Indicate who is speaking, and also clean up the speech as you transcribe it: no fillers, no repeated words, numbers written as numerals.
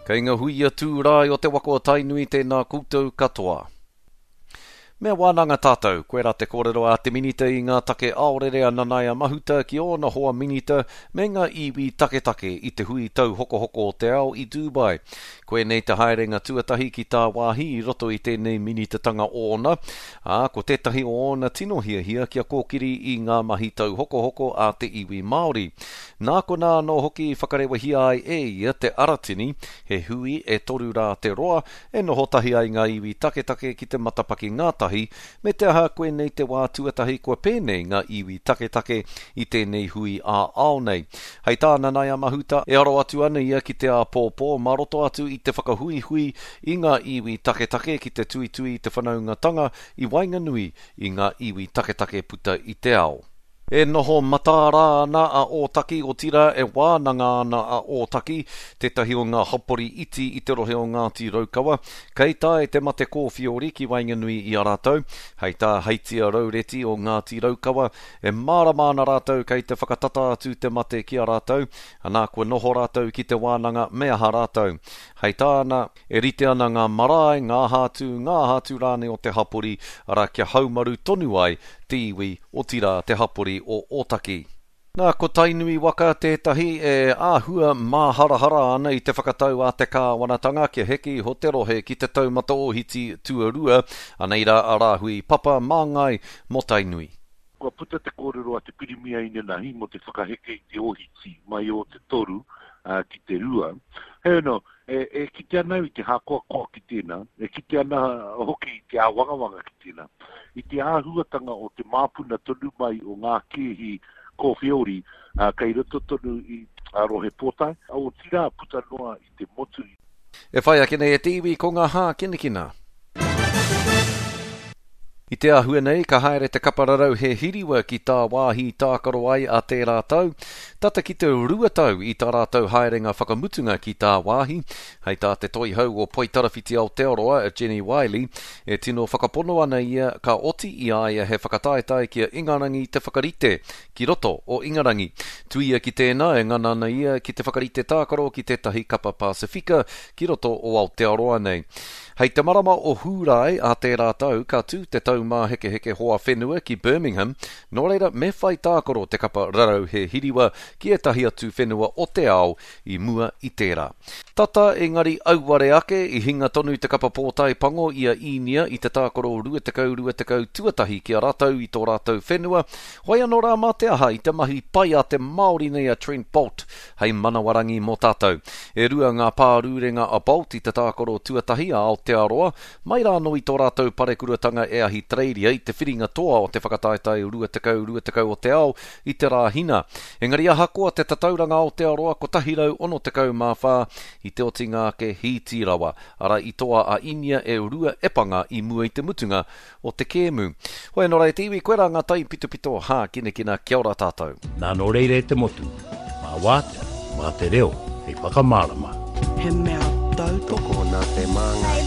Speaker 1: Kei nga huia tūrae o te waka o Tainui tēnā koutou katoa. Me wānanga tātou, koirā te kōrero a te Minita i ngā take aorere a Nanaia Mahuta ki ōna hoa Minita me ngā iwi taketake i te hui tauhokohoko o te ao i Dubai. Koinei te haerenga tuatahi ki tāwāhi i roto i tēnei minitatanga ōna, ā, ko tētahi o ōna tino hiahia kia kōkiri i ngā mahi tauhokohoko a te iwi Māori. Nā konā anō hoki i whakarewahia ai e ia te Aratini, he hui e toru rā te roa, E noho tahi ai ngā iwi taketake ki te matapaki ngātahi, me te aha koinei te wā tuatahi kua pēnei ngā iwi taketake i tēnei hui ā-ao nei. Hei tā Nanaia Mahuta, e aro atu ana ia ki te āpōpō mā roto atu i te whakahuihui i ngā iwi taketake ki te tuitui i te whanaungatanga i waenganui i ngā iwi taketake puta i te ao. E noho mataara ana a Ōtaki, otirā e wānanga ana a Ōtaki, tētahi o ngā hapori iti i te rohe o Ngāti Raukawa, kei tae te mate kōwhiori ki waenganui i a rātou. Hei tā Heitia Raureti o Ngāti Raukawa, e mārama ana rātou kei te whakatata atu te mate ki a rātou, anā kua noho rātou ki te wānanga me aha rātou. Hei tāna, E rite ana ngā marae, ngā aha atu, ngā aha atu rānei o te hapori, arā kia haumaru tonu ai te iwi, otirā te hapori o Ōtaki. Nā, ko Tainui waka tētahi e āhua māharahara ana i te whakatau a te kāwanatanga kia heke iho te rohe ki te taumata ōhiti tuarua, anei rā a Rāhui Papa māngai mō Tainui.
Speaker 2: Kua puta te kōrero a te Pirimia inanahi mō te whakaheke i te ōhiti mai o te toru ki te rua. Heoi anō, e kite ana au i te hākoakoa ki tēnā, e kite ana hoki i te āwangawanga ki tēnā, i te āhuatanga o te māpuna tonu mai o ngā kēhi kōwheori kei roto tonu i a Rohe Pōtae, otirā puta noa i te motu.
Speaker 1: E whai ake nei e te iwi ko ngā hākinakina. I te āhua nei, ka haere te kapa rarau he hiriwa ki tāwāhi tākaro ai a tērā tau, tata ki te 2 tau i tā rātou haerenga whakamutunga ki tāwāhi. Hei tā te toihau o Poitarawhiti Aotearoa, Jenny Wiley, e tino whakapono ana ia ka oti i a ia he whakataetae ki a Ingarangi te whakarite ki roto o Ingarangi. Tuia ki tēnā, e ngana ana ia ki te whakarite tākaro ki tētahi kapa Pasifika ki roto o Aotearoa nei. Hei te marama o Hūrae a tērā tau ka tū te Taumāhekeheke Hoa Whenua ki Birmingham, nō reira me whai tākaro te kapa rarau he hiriwa ki ētahi atu whenua o te ao i mua i tērā. Tata engari auare ake, i hinga tonu te kapa pōtae pango i a Īnia i te tākaro 20 20 tuatahi ki a rātou i tō rātou whenua, hoi anō rā mā te aha i te mahi pai a te Māori nei a Trent Boult hei manawarangi mō tātou. E rua ngā pārūrenga a Bolt i te tākaro tuatahi a Aotearoa, mai rā anō i tō rātou parekuratanga e Ahitereiria i te whiringa toa o te whakataetae 20 20 o te ao i te Rāhina. Engari ahakoa te tatauranga Aotearoa 164 i te otinga ake hīti rawa, arā i toa a Inia e rua epanga i mua i te mutunga o te kēmu. Hoi anō rā e te iwi, koirā ngā taipitopito hākinakina, kia ora tātou.
Speaker 3: Nā nō reira e te motu, mā Wātea, mā te reo hei whakamārama.
Speaker 4: He mea tautoko.
Speaker 5: Tokona te māngai.